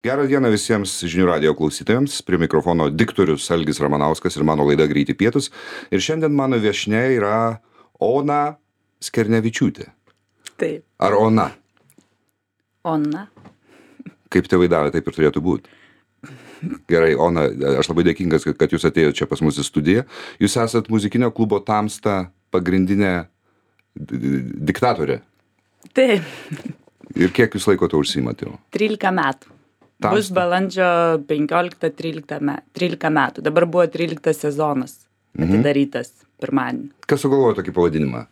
Gerą dieną visiems žinių radijo klausytojams. Prie mikrofono diktorius Algis Ramanauskas ir mano laida Greiti pietūs. Ir šiandien mano viešnia yra Ona Skernevičiūtė. Taip. Ar Ona? Ona. Kaip tėvai davė, taip ir turėtų būti. Gerai, Ona, aš labai dėkingas, kad jūs atėjote čia pas mus į studiją. Jūs esat muzikinio klubo Tamsta pagrindinė diktatorė. Taip. Ir kiek jūs laiko to užsiimat jau? 13 metų. Tamsta. Bus balandžio 13 metų. Dabar buvo 13 sezonas atidarytas pirmadienį. Kas sugalvojo tokį pavadinimą?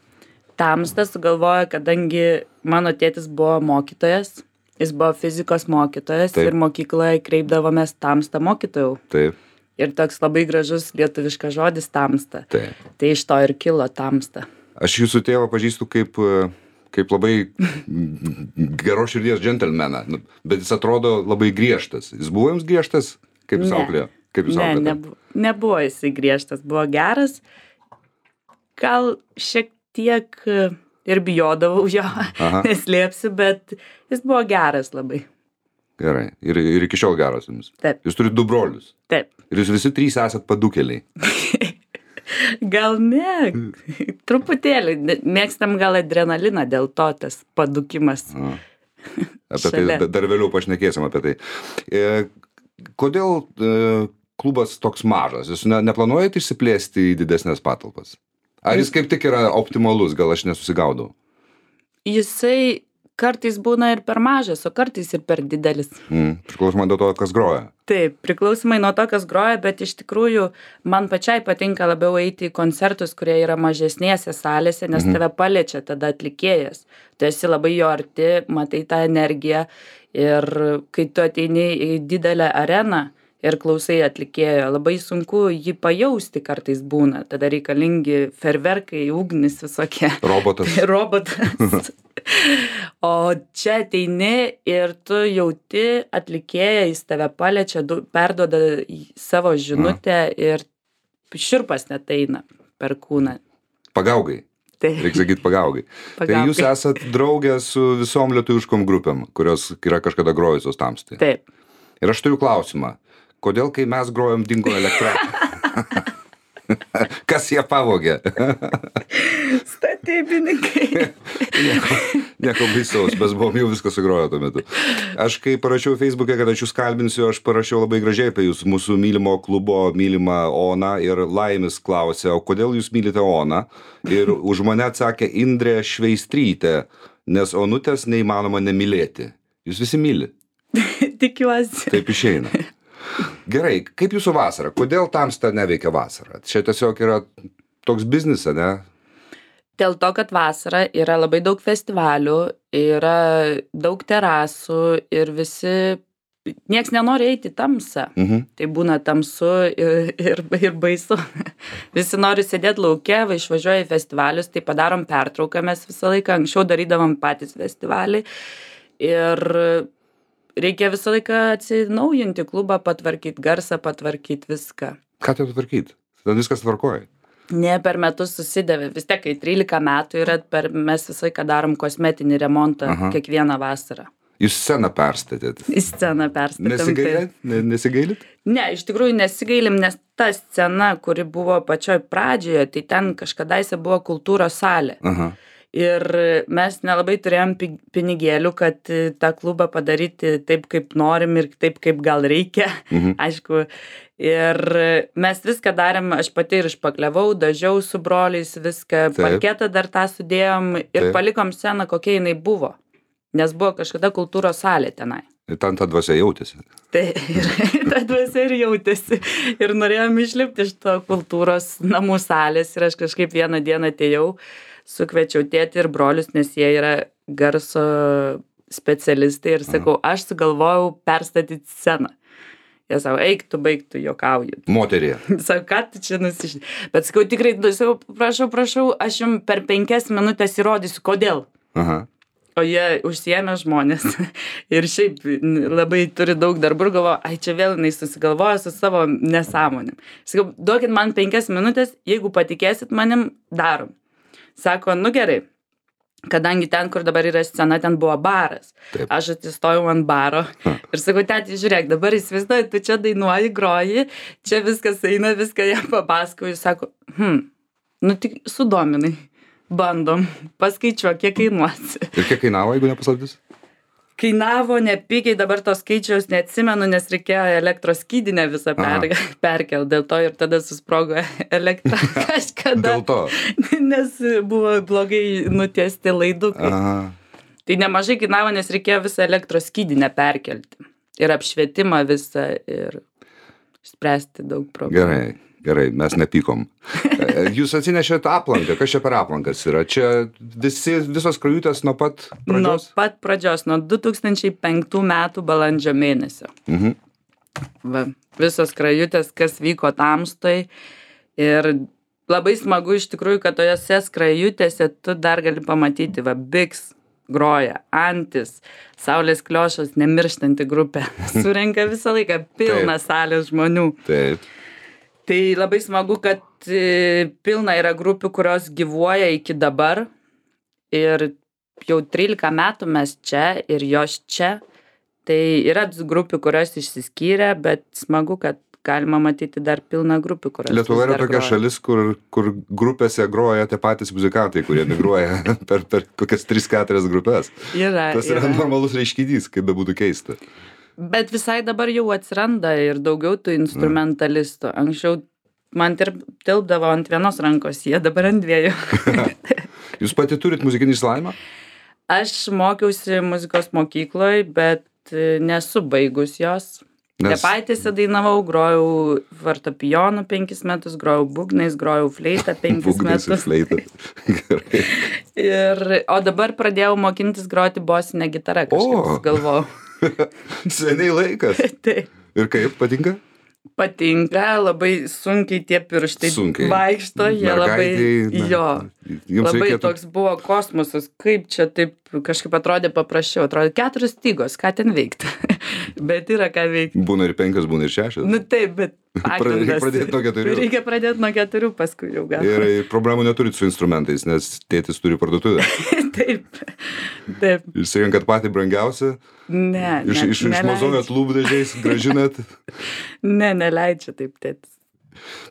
Tamsta sugalvojo, kadangi mano tėtis buvo mokytojas, jis buvo fizikos mokytojas. Taip. Ir mokykloje kreipdavomės Tamsta mokytojau. Taip, Ir toks labai gražus lietuviškas žodis Tamsta. taip. Tai iš to ir kilo Tamsta. Aš jūsų tėvą pažįstu kaip labai geros širdies džentelmeną, bet jis atrodo labai griežtas. Jis buvo jums griežtas, kaip jūs Ne. auklėjo? Kaip jūs auklėte? Nebuvo jisai griežtas, buvo geras. Gal šiek tiek ir bijodavau jo, Aha. neslėpsiu, bet jis buvo geras labai. Gerai. Ir iki šiol geras jums. Taip. Jūs turite 2 brolius. Taip. Ir jūs visi 3 esat padukeliai. Gal ne, truputėlį. Mėgstam gal adrenaliną, dėl to tas padukimas. Apie Šalia. tai dar vėliau pašnekėsim apie tai. Kodėl klubas toks mažas? Jūs neplanuojate išsiplėsti į didesnės patalpas? Ar jis kaip tik yra optimalus? Gal aš nesusigaudau? Jisai kartais būna ir per mažas, o kartais ir per didelis. Priklausomai nuo to, kas groja. Taip, priklausomai nuo to, kas groja, bet iš tikrųjų man pačiai patinka labiau eiti į koncertus, kurie yra mažesnėse salėse, nes tave paliečia tada atlikėjas. Tu esi labai jo arti, matai tą energiją ir kai tu ateini į didelę areną ir klausai atlikėjo, labai sunku jį pajausti kartais būna. Tada reikalingi ferverkai, ugnis visokie. Robotas. Robotas. O čia ateini ir tu jauti atlikėją, jis tave paliečia, perduoda savo žinutę ir šiurpas net eina per kūną. Pagaugai. Tai Reikia sakyti pagaugai. Tai Pagaugai. jūs esat draugė su visom lietuviškom grupėm, kurios yra kažkada grojusios Tamstai. taip. Ir aš turiu klausimą. Kodėl, kai mes grojom, dingo elektra? Kas ją pavogė? Statybininkai. Nieko baisaus, mes buvom jau viską sugroję tuo metu. Aš kai parašiau Facebook'e, kad aš jūs kalbinsiu, aš parašiau labai gražiai apie jūs, mūsų mylimo klubo, mylimą Oną, ir Laimis klausė, o kodėl jūs mylite Oną? Ir už mane atsakė Indrė Šveistrytė, nes Onutės neįmanoma nemylėti. Jūs visi myli. Tikiuosi. Taip išeina. Gerai, kaip jūsų vasara? Kodėl Tamsta neveikia vasarą? Čia tiesiog yra toks biznis, ne? Dėl to, kad vasara yra labai daug festivalių, yra daug terasų ir visi, nieks nenori eiti į tamsą. Tai būna tamsu ir baisu. Visi nori sėdėti lauke, išvažiuoja į festivalius, tai padarom pertrauką, mes visą laiką anksčiau darydavom patys festivalį ir reikia visą laiką atsinaujinti klubą, patvarkyti garsą, patvarkyti viską. Ką tai tvarkyti? Tada viskas tvarkoja. Ne, per metus susidavė. Vis tiek, kai 13 metų yra, mes visą laiką darom kosmetinį remontą kiekvieną vasarą. Jūs sceną perstatėt. Į sceną perstatėm. Nesigailit? Nesigailit? Ne, iš tikrųjų nesigailim, nes ta scena, kuri buvo pačioj pradžioje, tai ten kažkadaise buvo kultūros salė. Ir mes nelabai turėjom pinigėlių, kad tą klubą padaryti taip, kaip norim ir taip, kaip gal reikia, aišku. Ir mes viską darėm, aš pati ir išpakliavau, dažiau su broliais viską, parketą dar tą sudėjom ir palikom sceną, kokia jinai buvo. Nes buvo kažkada kultūros salė tenai. Ir ten ta dvasia jautėsi. Tai ta dvasia ir jautėsi. Ir norėjom išlipti iš to kultūros namų salės ir aš kažkaip vieną dieną atėjau, sukviečiau tėtį ir brolius, nes jie yra garso specialistai ir sakau, aš sugalvojau perstatyti sceną. Jie sako, eik tu, baig tu, juokauju. Moterį. Sako, ką tu čia nusišti? Bet sakau, tikrai, sakau, prašau, aš jums per 5 minutės įrodysiu, kodėl. O jie užsiėmė žmonės ir šiaip labai turi daug darbų ir galvoja, ai čia vėl jinai susigalvoja su savo nesąmonėm. Sakau, duokit man 5 minutės, jeigu patikėsit manim, darom. Sako, nu gerai, kadangi ten, kur dabar yra scena, ten buvo baras. Taip. Aš atsistojau ant baro ir sakau, tėti, žiūrėk, dabar įsivaizduoji, tu čia dainuoji, groji, čia viskas eina, viską jam papasakoju. Jis sako, nu tik sudominai, bandom, paskaičiuok, kiek kainuosi. Ir kiek kainavo, jeigu nepaslaptis? Kainavo nepigiai, dabar to skaičiaus neatsimenu, nes reikėjo elektros skydinę visą perkel, dėl to ir tada susprogo elektra kažkada. Dėl to? Nes buvo blogai nutiesti laidukai. Tai nemažai kainavo, nes reikėjo visą elektros skydinę perkelti. Ir apšvietimą visą ir spręsti daug problemų. Gerai, mes nepykom. Jūs atsinešėt aplanką, kas čia per aplankas yra? Čia visos skrajutės nuo pat pradžios? Nuo pat pradžios, nuo 2005 metų balandžio mėnesio. Va, visos skrajutės, kas vyko Tamstoj. Ir labai smagu iš tikrųjų, kad tojose skrajutėse tu dar gali pamatyti, va, Biks groja, Antis, Saulės Kliošas, nemirštanti grupė. Surenka visą laiką pilną salę žmonių. Taip. Tai labai smagu, kad pilna yra grupių, kurios gyvuoja iki dabar. Ir jau 13 metų mes čia ir jos čia. Tai yra grupių, kurios išsiskyrė, bet smagu, kad galima matyti dar pilną grupių, kurios Lietuva yra tokia šalis, kur grupėse groja tie patys muzikantai, kurie migruoja per kokias 3-4 grupės. Tas yra normalus reiškinys, kaip bebūtų keista. Bet visai dabar jau atsiranda ir daugiau tų instrumentalistų. Anksčiau man tilpdavo ant vienos rankos, jie dabar ant dviejų. Jūs pati turit muzikinį išsilavinimą? Aš mokiausi muzikos mokykloje, bet nesu baigus jos. Tepaitėse dainavau, grojau fortepijonu 5 metus, grojau būgnais, grojau fleitą 5 metus. Būgnais ir fleitą. Gerai. O dabar pradėjau mokintis groti bosinę gitarą, kažkaip galvojau. Seniai laikas. Taip. Ir kaip, patinka? Patinka, labai sunkiai tie pirštai vaikšto, jie labai, labai toks buvo kosmosas, kaip čia taip kažkaip atrodė paprasčiau, atrodė 4 stygos, ką ten veikti, bet yra ką veikti. Būna ir 5, būna ir 6. Nu taip, bet Reikia pradėti nuo 4. Reikia pradėti nuo 4, paskui jau gal. Ir problemų neturit su instrumentais, nes tėtis turi parduotuvę. Taip. Išsirinkat patį brangiausią? Ne, Iš mozojot lūpdažiais, gražinat? Ne, neleidžia taip tėtis.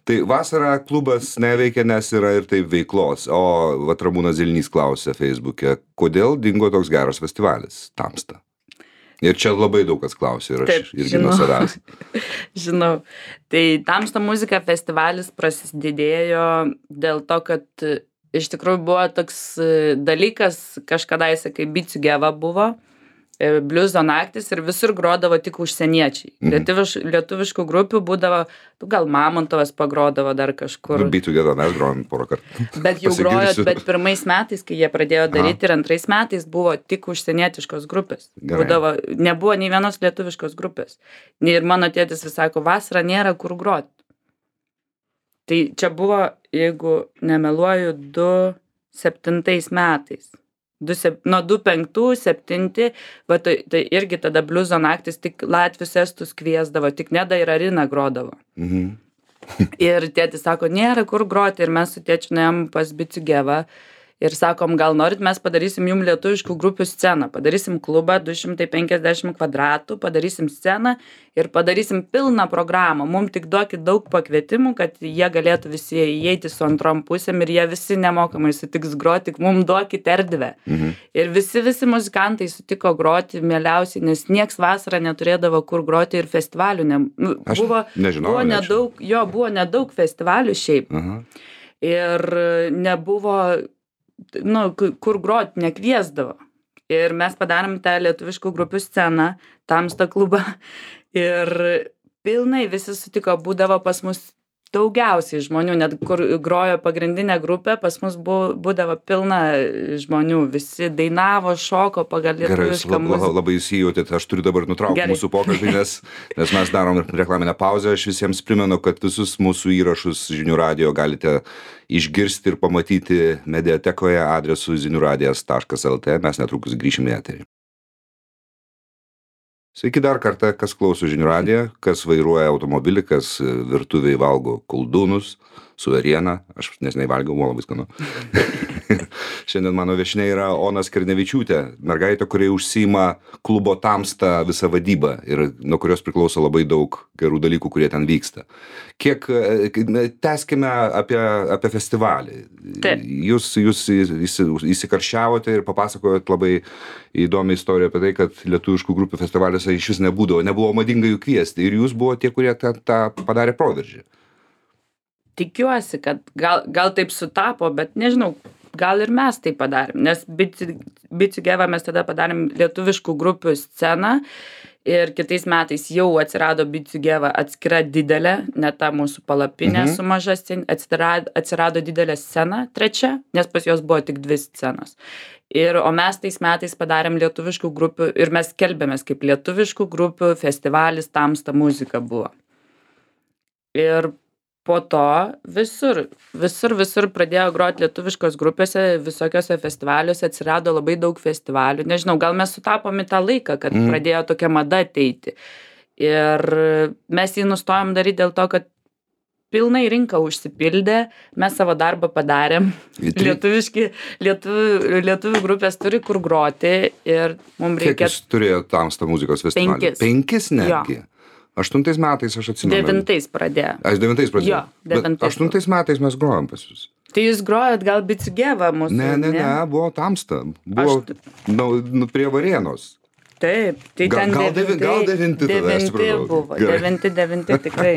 Tai vasarą klubas neveikia, nes yra ir taip veiklos. O vat Ramūnas Zilnys klausė Facebook'e, kodėl dingo toks geras festivalis Tamsta? Ir čia labai daug kas klausė ir aš irgi nuo savęs. Žinau. Tai Tamsta muzika festivalis prasidėjo dėl to, kad iš tikrųjų buvo toks dalykas, kažkadaise, kai Bicių Geva buvo, bliuzo naktis ir visur grodavo tik užsieniečiai. Lietuviškų grupių būdavo, gal Mamontovas pagrodavo dar kažkur. Bicių Geva mes grojom porą kartų. Bet jau grojot, bet pirmais metais, kai jie pradėjo daryti ir antrais metais buvo tik užsienietiškos grupės. Būdavo, nebuvo nei vienos lietuviškos grupės. Ir mano tėtis vis sako, vasarą nėra kur groti. Tai čia buvo, jeigu nemeluoju, 2007 metais. Nuo 2005-2007, tai irgi tada bliuzo naktis tik latvius estus kviesdavo, tik Neda ir Arina grodavo. Ir tėtis sako, nėra kur groti ir mes su tėčiu nuėjom pas Bicių Gevą ir sakom, gal norit, mes padarysim jum lietuviškų grupių sceną, padarysim klubą 250 kvadratų, padarysim sceną ir padarysim pilną programą. Mums tik duokit daug pakvietimų, kad jie galėtų visi įeiti su antrom pusėm ir jie visi nemokamai sutiks groti, tik mums duokit erdvę. Ir visi muzikantai sutiko groti mieliausiai, nes nieks vasarą neturėdavo kur groti ir festivalių. Buvo nedaug festivalių šiaip. Ir nebuvo kur groti nekviesdavo. Ir mes padarėm tą lietuviškų grupių sceną, Tamsta klubą. Ir pilnai visi sutiko, būdavo pas mus daugiausiai žmonių, net kur grojo pagrindinė grupė, pas mus būdavo pilna žmonių. Visi dainavo, šoko pagal lietuvišką muziką. Gerai, labai įsijautėt, aš turiu dabar nutraukti mūsų pokalbį, nes mes darom reklaminę pauzę. Aš visiems primenu, kad visus mūsų įrašus Žinių radijo galite išgirsti ir pamatyti mediatekoje adresu ziniuradijas.lt. Mes netrukus grįšime į eterį. Sveiki dar kartą, kas klauso Žinių radiją, kas vairuoja automobilį, kas virtuvėje valgo koldūnus, suverieną. Aš neseniai valgiau, buvo labai skanu. Šiandien mano viešnia yra Ona Skernevičiūtė, mergaitė, kuri užsiima klubo Tamsta visą vadybą ir nuo kurios priklauso labai daug gerų dalykų, kurie ten vyksta. Tęskime apie festivalį. Taip. Jūs įsikarščiavote ir papasakojot labai įdomią istoriją apie tai, kad lietuviškų grupių festivaliuose iš vis nebuvo madinga jų kviesti ir jūs buvo tie, kurie tą padarė proveržį. Tikiuosi, kad gal taip sutapo, bet nežinau, gal ir mes tai padarėm, nes Bicigeva mes tada padarėm lietuviškų grupių sceną ir kitais metais jau atsirado Bicigeva atskira didelė, ne ta mūsų palapinė su maža scena, atsirado didelė scena, trečia, nes pas jos buvo tik 2 scenos. O mes tais metais padarėm lietuviškų grupių ir mes skelbėmės kaip lietuviškų grupių festivalis Tamsta muzika buvo. Ir po to visur pradėjo groti lietuviškos grupėse, visokiose festivaliuose, atsirado labai daug festivalių. Nežinau, gal mes sutapom į tą laiką, kad pradėjo tokia mada ateiti. Ir mes jį nustojom daryti dėl to, kad pilnai rinka užsipildė, mes savo darbą padarėm. Lietuvių grupės turi kur groti ir mums reikia... Kiek jūs turėjo Tamsta muzikos festivalį? 5 netgi? Jo. 8 metais aš atsimenu. 9 pradėjo. Aš 9 pradėjau. Jo, 9. Bet 8 metais mes grojom pas jūs. Tai jūs grojot gal Bicigeva mūsų? Ne, buvo Tamsta. Buvo prie Varėnos. Taip, tai ten gal 9 buvo. 9 tikrai.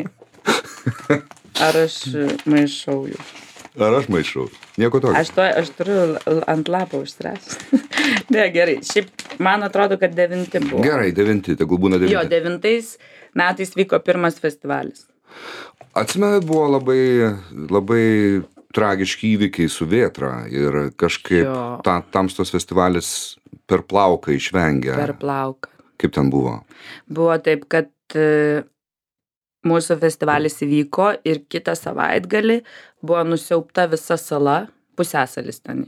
Ar aš maišau jų? Ar aš maišau? Nieko tokio. Aš turiu ant lapo užsirašęs. Ne, gerai. Šiaip man atrodo, kad 9 buvo. Gerai, 9, tegul būna 9. Jo, 9 metais vyko pirmas festivalis. Atsimenu, buvo labai tragiški įvykiai su Vėtra ir kažkaip Tamstos festivalis per plauką išvengė. Per plauką. Kaip ten buvo? Buvo taip, kad mūsų festivalis įvyko ir kitą savaitgalį buvo nusiaubta visa sala, pusiasalis ten.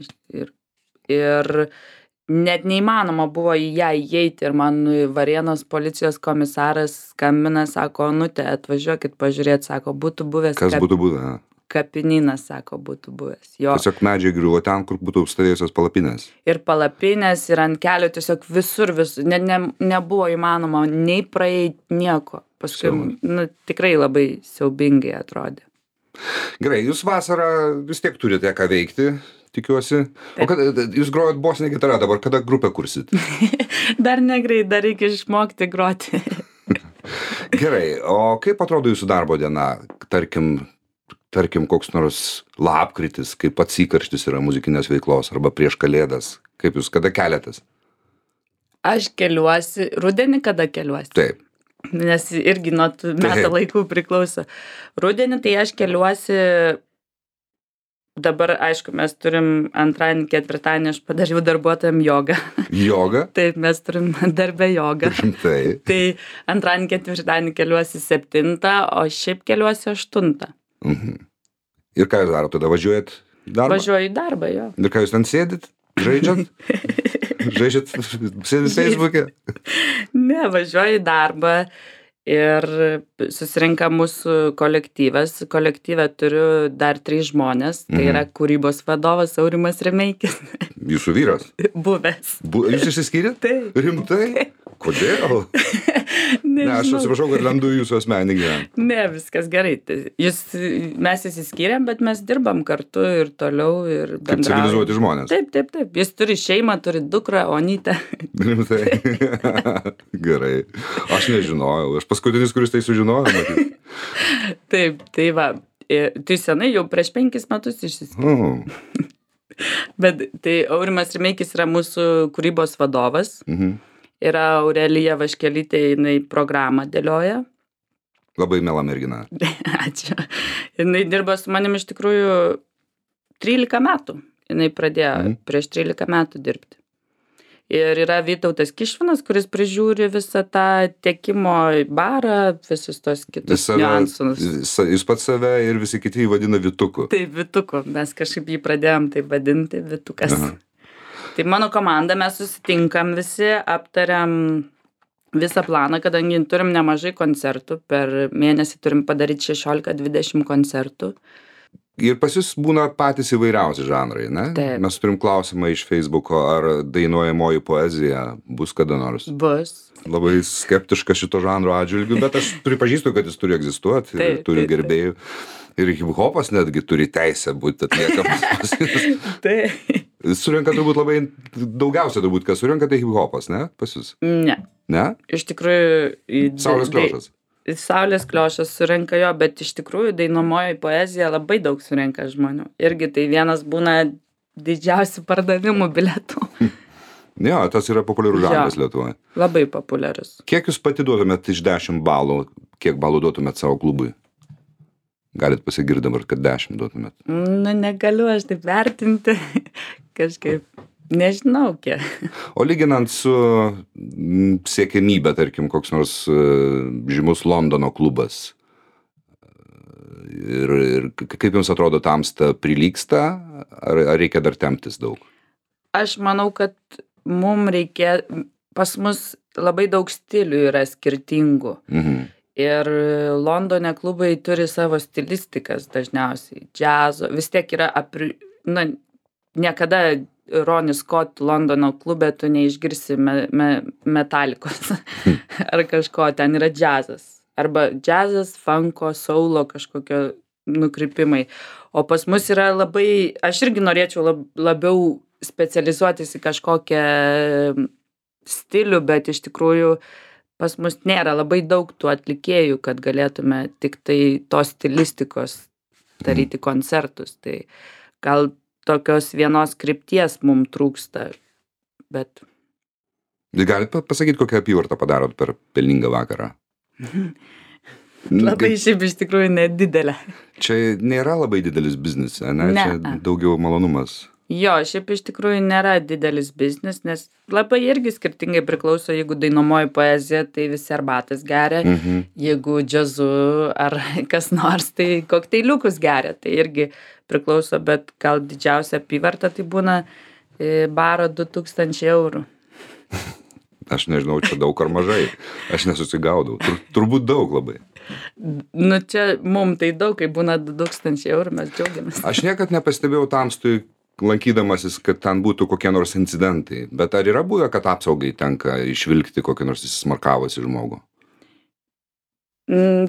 Ir net neįmanoma buvo į ją įeiti ir man Varėnos policijos komisaras skambina, sako, Onute, atvažiuokit pažiūrėti, sako, būtų buvęs... Kas būtų buvę? Kapinynas, sako, būtų buvęs. Tiesiog medžiai griuvo ten, kur būtų stovėjusios palapinės. Ir palapinės, ir ant kelio tiesiog visur, nebuvo įmanoma nei praeiti nieko. Paskui, tikrai labai siaubingai atrodė. Gerai, jūs vasarą vis tiek turite ką veikti, tikiuosi. O jūs grojat bosinę gitarą dabar, kada grupę kursit? Dar negreit, dar reikia išmokti groti. Gerai, o kaip atrodo jūsų darbo diena? Tarkim, koks nors lapkritis, kaip pats įkarštis yra muzikinės veiklos, arba prieš Kalėdas. Kaip jūs, kada keliatės? Aš keliuosi, rudenį kada keliuosi? Taip. Nes irgi nuo metų laikų priklauso. Rudenį tai aš keliuosi, dabar, aišku, mes turim antradienį, ketvirtadienį, aš padariau darbuotojam jogą. Jogą? Taip, mes turim darbę jogą. Taip. Tai antradienį, ketvirtadienį keliuosi 7, o šiaip keliuosi 8. Ir ką jūs darote, tada važiuojat darbą? Važiuoju į darbą, jo. Ir ką jūs ten sėdit, žaidžiat? Sėdit Facebook'e? Ne, važiuoju į darbą ir susirinka mūsų kolektyvas. Kolektyve turiu dar 3 žmonės. Tai yra kūrybos vadovas Aurimas Remeikis. Jūsų vyras? Buvęs. Jūs išsiskyrėt? Taip. Rimtai? Kodėl? Ne, aš atsiprašau, kad lendu jūsų asmeninį gyvenimą. Ne, viskas gerai. Mes įsiskyrėm, bet mes dirbam kartu ir toliau ir bendraujam. Kaip civilizuoti žmonės. Taip. Jis turi šeimą, turi dukrą, Onytę. Rimtai. Gerai. Aš nežinojau. Aš paskutinis, kuris tai sužinojo. Taip, tai va. Tai senai jau prieš 5 metus išsiskyrėm. Bet tai Aurimas Remeikis yra mūsų kūrybos vadovas. Yra Aurelija Vaškelytė, jinai programą dėlioja. Labai miela mergina. Ačiū. Jinai dirba su manim iš tikrųjų 13 metų. Jinai pradėjo prieš 13 metų dirbti. Ir yra Vytautas Kišvinas, kuris prižiūri visą tą tiekimo barą, visus tos kitus niuansus. Jūs pats save ir visi kiti jį vadina Vytuku. Taip, Vytuku. Mes kažkaip jį pradėjom taip vadinti, Vytukas. Tai mano komanda, mes susitinkam visi, aptariam visą planą, kadangi turim nemažai koncertų, per mėnesį turim padaryti 16-20 koncertų. Ir pas jūs būna patys įvairiausi žanrai, ne? Taip. Mes turim klausimą iš Facebooko, ar dainuojamoji poezija bus kada nors. Bus. Labai skeptiška šito žanro atžvilgiu, bet aš pripažįstu, kad jis turi egzistuoti ir turi gerbėjų. Ir hip-hopas netgi turi teisę būti atliekamas. Taip. Surenka turbūt labai, daugiausia turbūt, kas surenka, tai hip-hopas, ne? Pas jūs? Ne. Ne? Iš tikrųjų... Saulės kliošas. Saulės kliošas surenka jo, bet iš tikrųjų dainuojamoji poezija labai daug surenka žmonių. Irgi tai vienas būna didžiausių pardavimų bilietų. Jo, tas yra populiarus žanras Lietuvoje. Labai populiarus. Kiek jūs pati duotumėt iš 10 balų, kiek balų duotumėt savo klubui? Galit pasigirti dabar, kad 10 duotumėt. Negaliu aš taip vertinti. Kažkaip, nežinau kiek. O lyginant su siekiamybė, tarkim, koks nors žymus Londono klubas. Ir kaip jums atrodo, tamsta prilygsta, ar reikia dar temptis daug? Aš manau, kad pas mus labai daug stilių yra skirtingų. Ir Londone klubai turi savo stilistikas dažniausiai. Džiazo, vis tiek yra niekada Ronnie Scott Londono klube tu neišgirsi metalikos ar kažko, ten yra džiazas. Arba džiazas, funko, soulo kažkokio nukrypimai. O pas mus yra labai, aš irgi norėčiau labiau specializuotis į kažkokią stilių, bet iš tikrųjų pas mus nėra labai daug tų atlikėjų, kad galėtume tik tai tos stilistikos daryti koncertus. Tai gal tokios vienos krypties mums trūksta, bet... Galit pasakyti, kokią apyvartą padarot per pelningą vakarą? Labai šiaip iš tikrųjų nedidelė. Čia nėra labai didelis biznis, ne? Čia daugiau malonumas. Jo, šiaip iš tikrųjų nėra didelis biznis, nes labai irgi skirtingai priklauso, jeigu dainuojamoji poezija, tai visi arbatas geria, jeigu džiazu ar kas nors, tai kokteiliukus geria, tai irgi priklauso, bet gal didžiausia apyvarta tai būna baro 2000 eurų. Aš nežinau, čia daug ar mažai, aš nesusigaudau, turbūt daug labai. Čia mum tai daug, kai būna 2000 eurų, mes džiaugiamės. Aš niekad nepastebėjau tamstui, lankydamasis, kad ten būtų kokie nors incidentai, bet ar yra buvę, kad apsaugai tenka išvilkti kokį nors įsismarkavusi žmogų?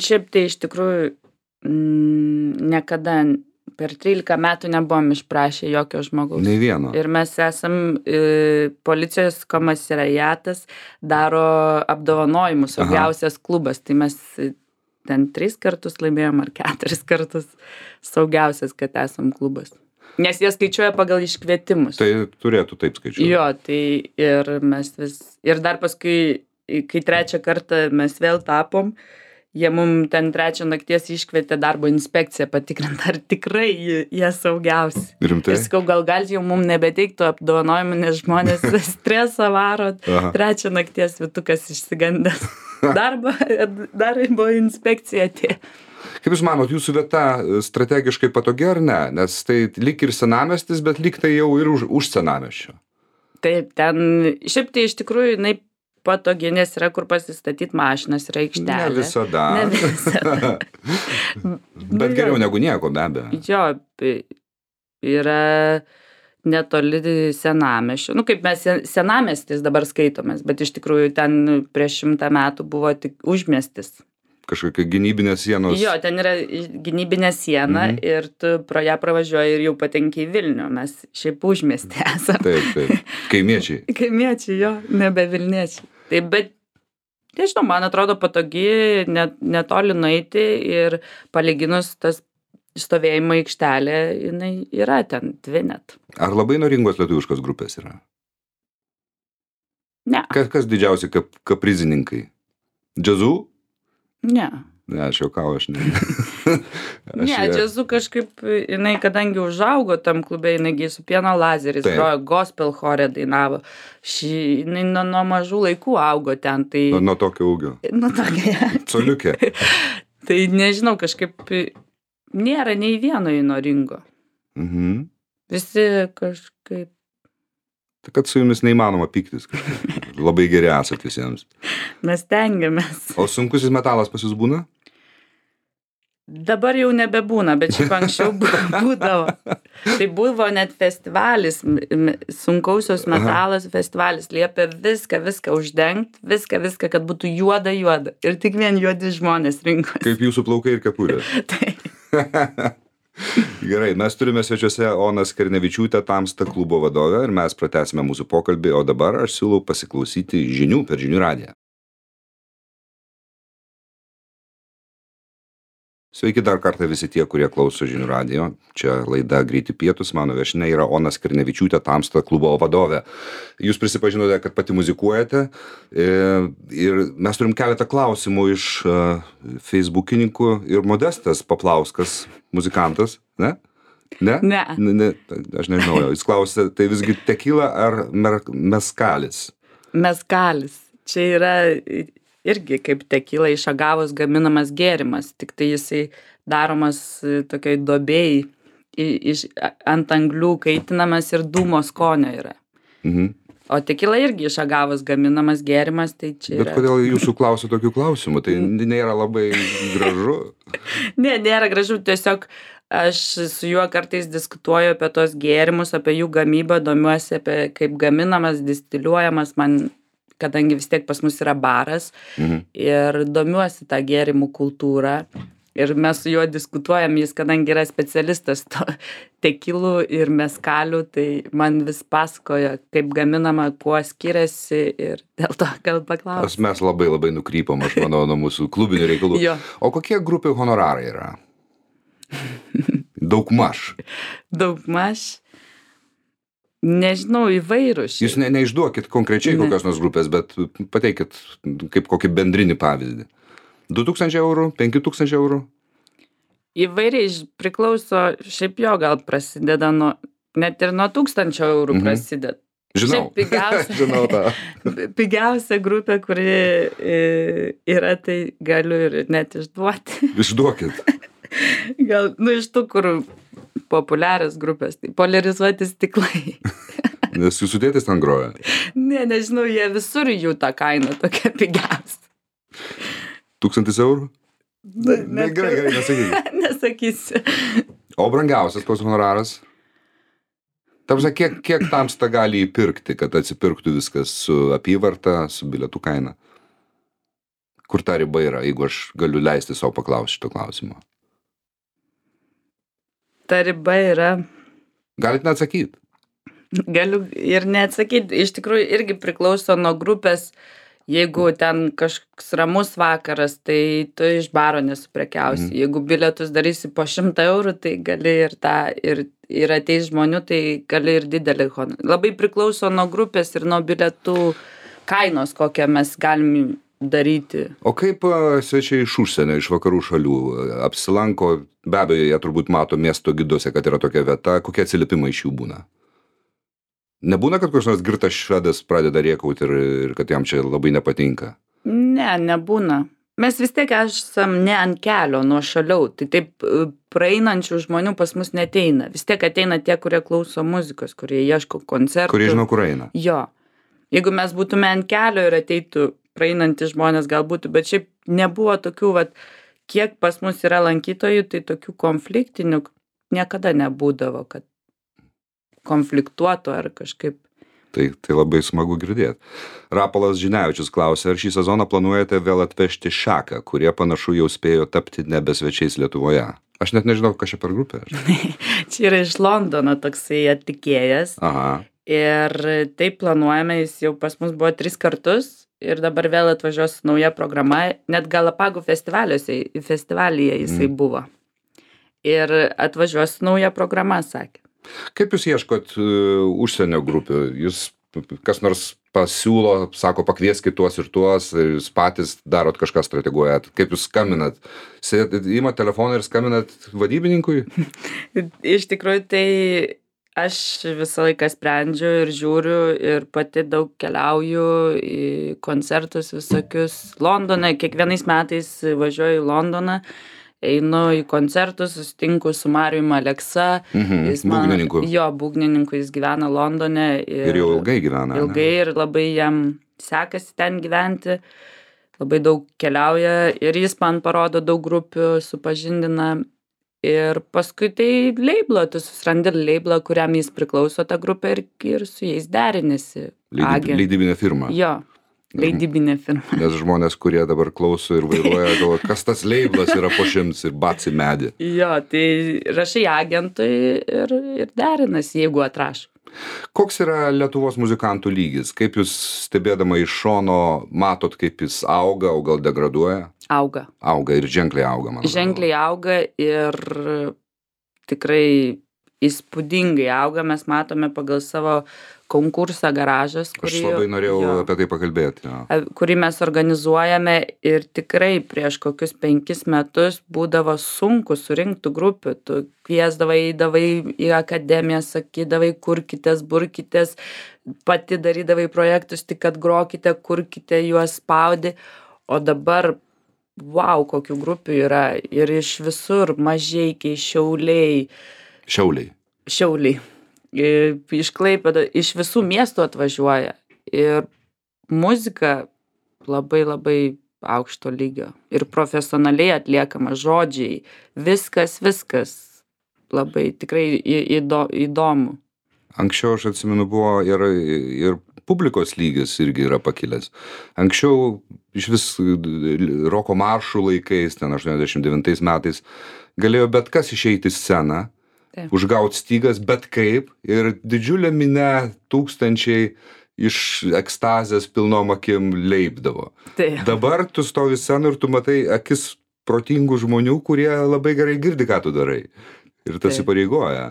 Šiaip tai iš tikrųjų niekada per 13 metų nebuvom išprašę jokio žmogaus. Nei vieno. Ir mes esam, policijos komisariatas daro apdovanojimus, saugiausias klubas, tai mes ten 3 kartus laimėjom ar 4 kartus saugiausias, kad esam klubas. Nes jie skaičiuoja pagal iškvietimus. Tai turėtų taip skaičiuoti. Jo, tai ir mes ir dar paskui, kai 3 kartą mes vėl tapom, jie mum ten 3 nakties iškvietė darbo inspekciją patikrint, ar tikrai jie saugiausi. Rimtai? Ir sakau, gal jau mum nebeteiktų apdovanojimų, nes žmonės stresą varo, 3 nakties vytukas išsigandęs darbą, dar buvo inspekcija atėjo. Kaip jūs manot, jūsų vieta strategiškai patogi ar ne? Nes tai lyg ir senamiestis, bet lyg tai jau ir už senamiesčio. Taip, ten, šiaip tai iš tikrųjų, jinai patogi, nes yra kur pasistatyti mašinas, yra aikštelė. Ne visada. Bet geriau negu nieko, be abejo. Jo, yra netoli senamiesčio. Kaip mes senamiestis dabar skaitomės, bet iš tikrųjų ten prieš 100 metų buvo tik užmiestis. Kažkokia gynybinė sienos. Jo, ten yra gynybinė siena ir tu pro ją pravažiuoji ir jau patenki į Vilnių. Mes šiaip užmiestį esame. Taip. Kaimiečiai. Kaimiečiai, jo, nebe Vilniečiai. Taip, bet, nežinau, man atrodo patogi, netoli nueiti ir palyginus tas stovėjimo aikštelė, jinai yra ten 2 net. Ar labai noringos lietuviškos grupės yra? Ne. Kas didžiausi kaprizininkai? Džiazų? Ne. Ne, aš juokauju, aš ne. Ne, džiazu kažkaip, jinai kadangi užaugo tam klube, jinai su Pieno Lazeris grojo, gospel chore dainavo. Jinai nuo mažų laikų augo ten. Tai... Nuo tokio ūgio. Nuo tokio. Coliukė. Tai nežinau, kažkaip nėra nei vieno įnoringo. Visi kažkaip. Tai kad su jumis neįmanoma pyktis kažkaip. Labai geri esat visiems. Mes tengiamės. O sunkusis metalas pas jūs būna? Dabar jau nebebūna, bet šiaip anksčiau būdavo. Tai buvo net festivalis, sunkausios metalas festivalis, liepė viską uždengt, viską, kad būtų juoda. Ir tik vien juodi žmonės rinkosi. Kaip jūsų plaukai ir kepurė. Tai. Gerai, mes turime svečiuose Oną Skernevičiūtę, Tamsta klubo vadovę, ir mes pratęsime mūsų pokalbį, o dabar aš siūlau pasiklausyti žinių per Žinių radiją. Sveiki dar kartą visi tie, kurie klauso Žinių radijo. Čia laida Greiti pietūs, mano viešnia yra Ona Skernevičiūtė, Tamsta klubo vadovė. Jūs prisipažinote, kad pati muzikuojate, ir mes turim keletą klausimų iš feisbukininkų, ir Modestas Paplauskas, muzikantas, ne? Ne? Ne. Aš nežinau, jis klausė, tai visgi tekila ar meskalis? Meskalis. Čia yra irgi kaip tekila iš agavos gaminamas gėrimas, tik tai jisai daromas tokioj duobėj, ant anglių kaitinamas ir dūmo skonio yra. O tekila irgi iš agavos gaminamas gėrimas, tai čia yra. Bet kodėl jūsų klausia tokių klausimų? Tai nėra labai gražu? Ne, nėra gražu, tiesiog aš su juo kartais diskutuoju apie tos gėrimus, apie jų gamybą, domiuosi apie kaip gaminamas, distiliuojamas, kadangi vis tiek pas mus yra baras, ir domiuosi tą gėrimų kultūrą, ir mes su juo diskutuojam, jis kadangi yra specialistas to tekilų ir meskalių, tai man vis pasakoja, kaip gaminama, kuo skiriasi, ir dėl to gal paklausiu. Mes labai nukrypom, aš manau, nuo mūsų klubinių reikalų. O kokie grupių honorarai yra? Daugmaž. Nežinau, įvairūs. Jūs neišduokit konkrečiai kokios nors grupės, bet pateikit kaip kokį bendrinį pavyzdį. 2000 eurų, 5000 eurų? Įvairiai priklauso, šiaip jo gal prasideda net ir nuo 1000 eurų prasideda. Žinau, žinau tą. Pigiausia grupė, kuri yra, tai galiu ir net išduoti. Išduokit. Gal, iš tų, kur populiarios grupės, tai Poliarizuoti stiklai. Nes jūsų tėtis ten groja? Ne, nežinau, jie visur jų tą kainą tokia pigiausia. 1000 eurų? Gerai, nesakyk. Nesakysiu. O brangiausias koks honoraras? Ta prasme, kiek Tamsta gali įpirkti, kad atsipirktų viskas su apyvarta, su bilietų kaina? Kur ta riba yra, jeigu aš galiu leisti savo paklausti šito klausimo? Ta riba yra. Galit neatsakyti? Galiu ir neatsakyti. Iš tikrųjų irgi priklauso nuo grupės. Jeigu ten kažkoks ramus vakaras, tai tu iš baro nesuprekiausi. Jeigu bilietus darysi po 100 eurų, tai gali ir tą, ir ateis žmonių, tai gali ir didelį honorarą. Labai priklauso nuo grupės ir nuo bilietų kainos, kokią mes galim daryti. O kaip svečiai iš užsienio, iš vakarų šalių apsilanko, be abejo, jie turbūt mato miesto giduose, kad yra tokia vieta, kokie atsiliepimai iš jų būna? Nebūna, kad koks nors girtas švedas pradeda rėkauti ir kad jam čia labai nepatinka? Ne, nebūna. Mes vis tiek esam ne ant kelio, nuo šaliau. Tai taip praeinančių žmonių pas mus neteina. Vis tiek ateina tie, kurie klauso muzikos, kurie ieško koncertų. Kurie žino, kur eina. Jo. Jeigu mes būtume ant kelio ir ateitų praeinantys žmonės galbūt, bet šiaip nebuvo tokių, kiek pas mus yra lankytojų, tai tokių konfliktinių niekada nebūdavo, kad konfliktuotų ar kažkaip. Tai labai smagu girdėti. Rapolas Žinevičius klausė, ar šį sezoną planuojate vėl atvežti Šaką, kurie panašu jau spėjo tapti nebesvečiais Lietuvoje? Aš net nežinau, kas čia per grupė. Čia yra iš Londono toksai atlikėjas. Aha. Ir taip planuojame, jis jau pas mus buvo 3 kartus ir dabar vėl atvažiuos nauja programa. Net Galapagų festivalyje jisai buvo. Ir atvažiuos nauja programa, sakė. Kaip jūs ieškot užsienio grupių? Jūs kas nors pasiūlo, sako, pakvieskit tuos ir tuos, jūs patys darot kažką, strateguojat. Kaip jūs skambinat? Imat telefoną ir skambinat vadybininkui? Iš tikrųjų, tai aš visą laiką sprendžiu ir žiūriu ir pati daug keliauju į koncertus visokius. Londone, kiekvienais metais važiuoju į Londoną. Einu į koncertus, susitinku su Marijum Aleksa. Būgnininku. Jo, būgnininku, jis gyvena Londone. Ir jau ilgai gyvena. Ilgai ir labai jam sekasi ten gyventi. labai daug keliauja ir jis man parodo daug grupių, supažindina. Ir paskui tai leiblą, tu susirandi leiblą, kuriam jis priklauso ta grupė ir su jais derinasi. Leidybinė firma. Jo, leidybinė firma. Nes žmonės, kurie dabar klauso ir vairuoja, galvoja, kas tas leiblas yra po 100 ir bats į medį. Jo, tai rašai agentui ir derinasi, jeigu atrašo. Koks yra Lietuvos muzikantų lygis? Kaip jūs stebėdama iš šono matot, kaip jis auga, o gal degraduoja? Auga. Auga ir ženkliai auga, man atrodo. Ženkliai auga ir tikrai įspūdingai auga. Mes matome pagal savo konkursą Garažas, Aš labai norėjau apie tai pakalbėti. Kurį mes organizuojame ir tikrai prieš kokius 5 metus būdavo sunku surinkti grupių. Tu kviesdavai, eidavai į akademiją, sakydavai, kurkitės, burkitės, pati darydavai projektus, tik kad grokite, kurkite, juos spaudi. O dabar, wow, kokių grupių yra ir iš visur, Mažeikiai, Šiauliai. Iš Klaipėdos, iš visų miestų atvažiuoja ir muzika labai labai aukšto lygio ir profesionaliai atliekama, žodžiai, viskas labai tikrai įdomu. Anksčiau, aš atsimenu, buvo ir publikos lygis irgi yra pakilęs. Anksčiau iš vis roko maršų laikais, ten 89 metais, galėjo bet kas išeiti į sceną, užgaut stygas, bet kaip, ir didžiulė minia, tūkstančiai iš ekstazės pilnom akim leipdavo. Dabar tu stovi scenų ir tu matai akis protingų žmonių, kurie labai gerai girdi, ką tu darai. Ir tas įpareigoja.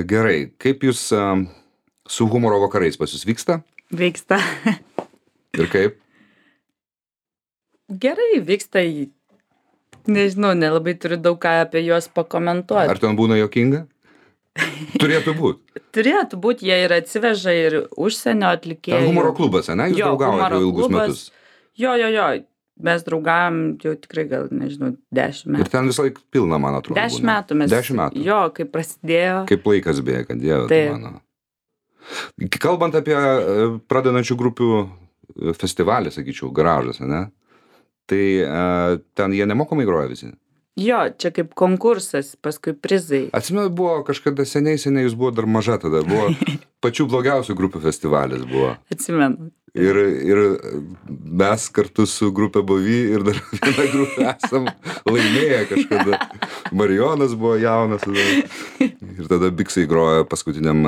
Gerai, kaip jūs su humoro vakarais pas jūs vyksta? Vyksta. Ir kaip? Gerai, vyksta. Nežinau, nelabai turiu daug ką apie juos pakomentuoti. Ar ten būna juokinga? Turėtų būt. Turėtų būt, jie ir atsiveža ir užsienio atlikėjų. Ten humoro klubas, ne? Jūs draugaujate jau ilgus metus. Jo. Mes draugavom jau tikrai gal, nežinau, 10 metų. Ir ten visą laiką pilna, man atrodo. 10 metų mes. 10 metų. Jo, kai prasidėjo. Kaip laikas bėga, Dieve, tu mano. Kalbant apie pradedančių grupių festivalį, sakyčiau, Garažas, ne? Tai ten jie nemokamai groja visi? Jo, čia kaip konkursas, paskui prizai. Atsimenu, buvo kažkada seniai, jūs buvo dar maža tada, buvo pačių blogiausių grupių festivalis buvo. Atsimenu. Ir mes kartu su grupė Bovy ir dar vieną grupę esam laimėję kažkada. Marijonas buvo jaunas. Ir tada Biksai grojo paskutiniam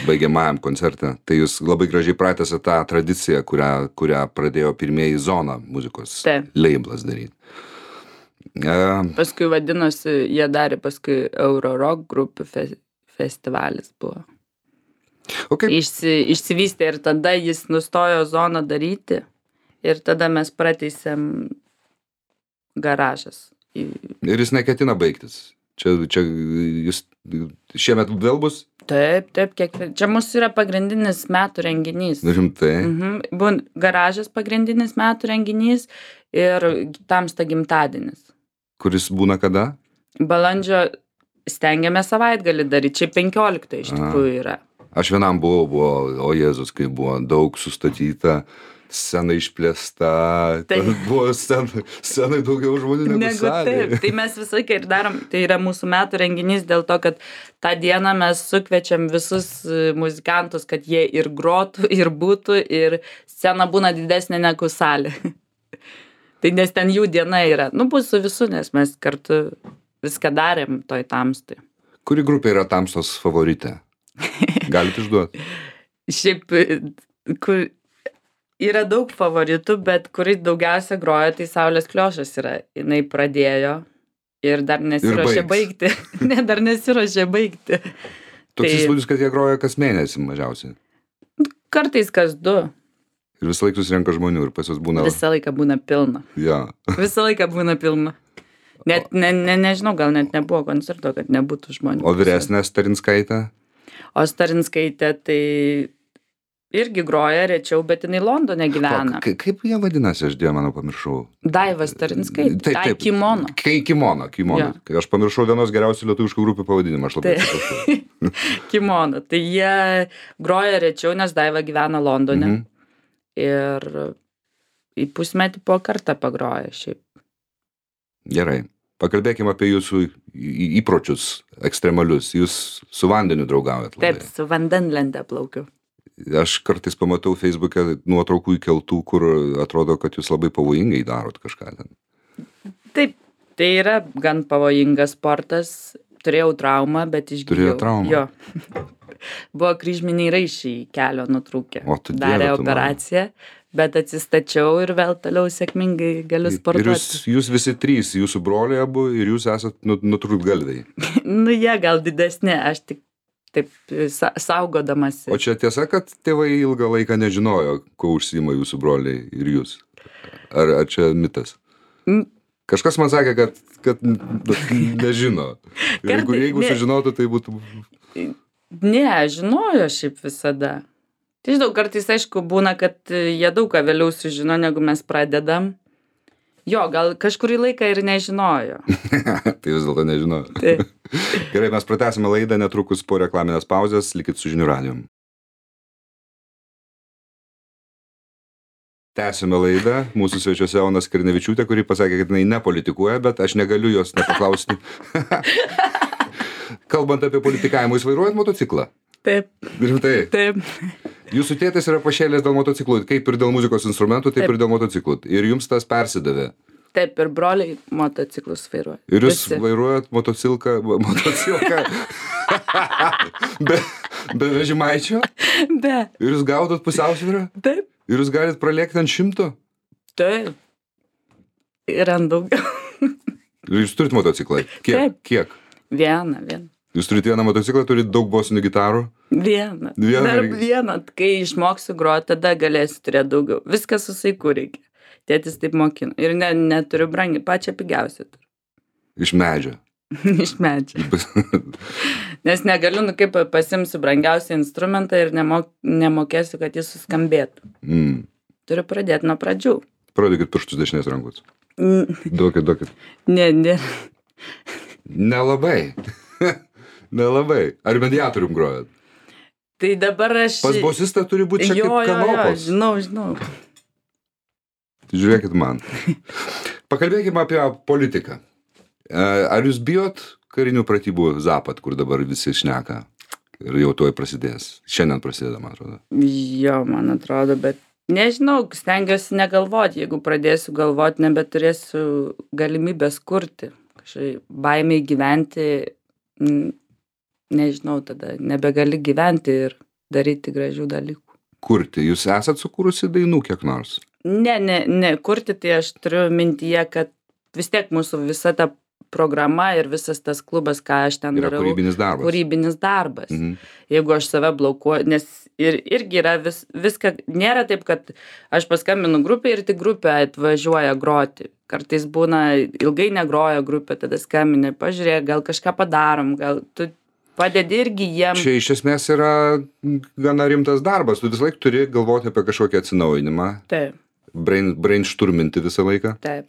baigiamajam koncerte. Tai jūs labai gražiai pratęsė tą tradiciją, kurią pradėjo pirmieji Zona muzikos leiblas daryti. Paskui vadinosi, jie darė paskui Eurorock grupių festivalis buvo. Išsivystė ir tada jis nustojo Zoną daryti ir tada mes prateisėm Garažas. Ir jis neketina baigtis. Čia jūs šiemet vėl bus? Taip, čia mūsų yra pagrindinis metų renginys. Rimtai? Garažas pagrindinis metų renginys ir Tamsta gimtadienis. Kuris būna kada? Balandžio stengiame savaitgalį daryti, čia 15 iš tikrųjų yra. Aš vienam buvau, o Jėzus, kai buvo daug sustatyta, scena išplėsta, buvo scenai daugiau žmonių negu salėje. Taip, tai mes visą laiką ir darom, tai yra mūsų metų renginys dėl to, kad tą dieną mes sukviečiam visus muzikantus, kad jie ir grotų, ir būtų, ir scena būna didesnė negu salė. Tai nes ten jų diena yra. Bus su visų, nes mes kartu viską darėm toj Tamstui. Kuri grupė yra Tamstos favoritė? Galite išduoti? Šiaip, yra daug favoritų, bet kuris daugiausia groja, tai Saulės Kliošas yra. Jinai pradėjo ir dar nesiruošė baigti. Dar nesiruošė baigti. Toks įspūdis, kad jie groja kas mėnesį mažiausiai. Kartais kas 2. Ir visą laiką susirenka žmonių ir pas juos būna... Visą laiką būna pilna. Ja. Visą laiką būna pilna. Net, nežinau, gal net nebuvo koncerto, kad nebūtų žmonių. O vyresnė Starinskaitė? O Starinskaitė tai irgi groja rečiau, bet jinai Londone gyvena. Kaip jie vadinasi, aš Dieve, manau, pamiršau. Daiva Starinskaitė. Taip. Kimono. Kimono. Ja. Aš pamiršau vienos geriausių lietuviškų grupių pavadinimą, aš labai atsiprašau. Kimono. Tai jie groja rečiau, nes Daiva gyvena Londone. Ir į pusmetį po kartą pagroja šiaip. Gerai. Pakalbėkime apie jūsų įpročius ekstremalius. Jūs su vandeniu draugaujat labai. Taip, su vandenlente plaukiu. Aš kartais pamatau Facebook'e nuotraukų įkeltų, kur atrodo, kad jūs labai pavojingai darot kažką ten. Taip, tai yra gan pavojingas sportas. Turėjau traumą, bet išgijau. Turėjau traumą? Jo. Buvo kryžminiai raiščiai kelio nutrūkę. O tu Darė Dieve tu operaciją, bet atsistačiau ir vėl toliau sėkmingai galiu sportuoti. Ir jūs visi trys, jūsų broliai abu ir jūs esat nutrūktgalviai. Nu, jie gal didesni, aš tik taip saugodamas. O čia tiesa, kad tėvai ilgą laiką nežinojo, kuo užsiima jūsų broliai ir jūs? Ar čia mitas? Kažkas man sakė, kad nežino. Jeigu sužinotų, tai būtų... Ne, žinojo šiaip visada. Tai žinau, kartais aišku būna, kad jie daug ką vėliau sužino, negu mes pradedam. Jo, gal kažkurį laiką ir nežinojo. Tai vis dėlto nežinojo. Taip. Gerai, mes pratęsime laidą netrukus po reklaminės pauzės. Likit su Žinių radijum. Tęsime laidą. Mūsų svečiuose Ona Skirnevičiūtė, kuri pasakė, kad jinai nepolitikuoja, bet aš negaliu jos nepaklausti. Kalbant apie politikavimą, jūs vairuojat motociklą? Taip. Rimtai? Taip. Jūsų tėtis yra pašėlęs dėl motociklų, kaip ir dėl muzikos instrumentų, taip ir dėl motociklų. Ir jums tas persidavė. Taip, ir broliai motociklus vairuoja. Ir jūs vairuojat motocilką be vežimaičio? Be. Ir jūs gaudot pusiausvyrą? Taip. Ir jūs galit pralėkti ant 100? Taip. Ir ant daugiau. Ir jūs turit motociklą? Kiek? Vieną. Jūs turite vieną motociklą, turite daug bosinių gitarų? Vieną. Dar vieną. Kai išmoksiu groti, tada galėsiu turėti daugiau. Viskas su saiku reikia. Tėtis taip mokino. Ir neturiu brangiai, pačią pigiausią turiu. Iš medžio? Iš medžio. Nes negaliu, kaip pasimsiu brangiausią instrumentą ir nemokėsiu, kad jis suskambėtų. Turiu pradėti nuo pradžių. Parodykit pirštus dešinės rankos. Duokit. Ne. Nelabai. Nelabai. Ar mediatorium grojat? Tai dabar aš... Pas bosistą turi būti šiek tiek kanopos. Jo, žinau. Žiūrėkit man. Pakalbėkime apie politiką. Ar jūs bijot karinių pratybų Zapad, kur dabar visi šneka? Ir jau tuoj prasidės. Šiandien prasideda, man atrodo. Jo, man atrodo, bet nežinau, stengiuosi negalvoti. Jeigu pradėsiu galvoti, nebeturėsiu galimybės kurti. Kažkaip baimiai gyventi, nežinau, tada nebegali gyventi ir daryti gražių dalykų. Kurti. Jūs esat sukūrusi dainų kiek nors? Ne, kurti, tai aš turiu mintyje, kad vis tiek mūsų visa ta programa ir visas tas klubas, ką aš ten darau. Yra kūrybinis darbas. Jeigu aš save blokuoju, nes irgi yra viską, nėra taip, kad aš paskambinu grupę ir tik grupė atvažiuoja groti. Kartais būna ilgai negroja grupė, tada skambini, pažiūrėk, gal kažką padarom, gal tu padedi irgi jiem. Čia iš esmės yra gana rimtas darbas, tu visą laiką turi galvoti apie kažkokį atsinaujinimą. Taip. Brainstorminti visą laiką. Taip.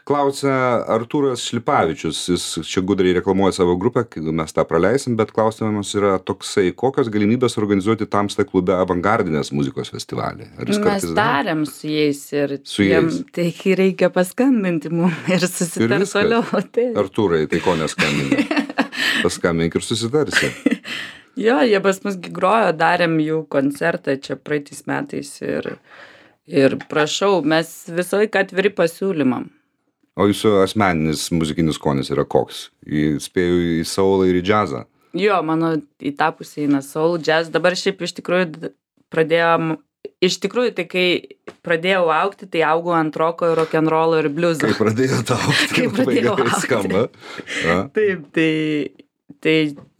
Klausia Artūras Šlipavičius, jis čia gudriai reklamuoja savo grupę, mes tą praleisim, bet klausimas yra toksai, kokios galimybės organizuoti Tamsta klube avangardinės muzikos festivalį? Mes darėm su jais ir jiems tai reikia paskambinti mums ir susitarti toliau. Artūrai, tai ko neskambinti? Paskambink ir susitarsi. Jo, jie pas mus grojo, darėm jų koncertą čia praeitais metais ir prašau, mes visą laiką atviri pasiūlymam. O jūsų asmeninis muzikinis skonis yra koks? Spėju į soulą ir į džiazą? Jo, mano į tą pusę eina soul, jazz. Dabar šiaip iš tikrųjų tai kai pradėjau augti, tai augau ant roko, rock'n'rollo ir bliuzo. Kai pradėjote augti, labai gerai skamba. Taip, tai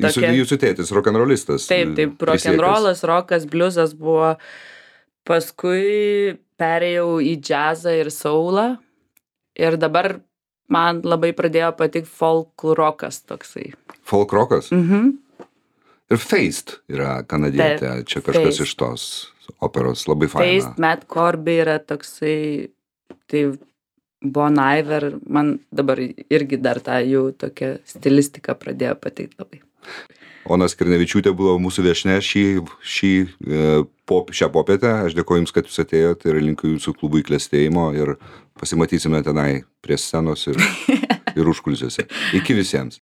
tokia... Jūsų tėtis rock'n'rollistas. Taip, rock'n'rollas, rockas, bliuzas buvo... Paskui perėjau į džiazą ir soulą ir dabar man labai pradėjo patikti folk rockas toksai. Folk rockas? Ir Feist yra kanadietė, Taip, čia kažkas Feist. iš tos operos, labai faina. Feist, Matt Corby yra toksai, tai Bon Iver, man dabar irgi dar tą jų tokia stilistika pradėjo patikti labai. Ona Skirnevičiūtė buvo mūsų viešnia šią popietę. Aš dėkoju Jums, kad Jūs atėjote ir linkiu Jūsų klubui klestėjimo ir pasimatysime tenai prie scenos ir užkulisiuose. Iki visiems.